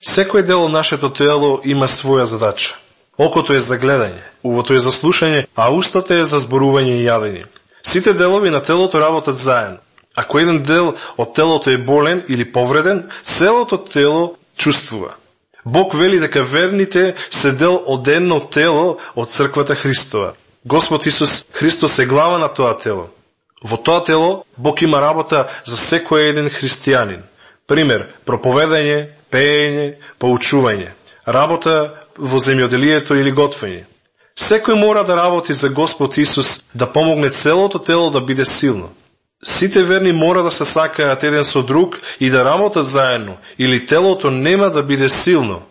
Секој дел од нашето тело има своја задача. Окото е за гледање, увото е за слушање, а устата е за зборување и јадење. Сите делови на телото работат заедно. Ако еден дел од телото е болен или повреден, целото тело чувствува. Бог вели дека верните се дел од едно тело од црквата Христова. Господ Исус Христос е глава на тоа тело. Во тоа тело Бог има работа за секој еден христијанин. Пример, проповедање, пеење, поучување, работа во земјоделието или готвење. Секој мора да работи за Господ Исус да помогне целото тело да биде силно. Сите верни мора да се сакаат еден со друг и да работат заедно, или телото нема да биде силно.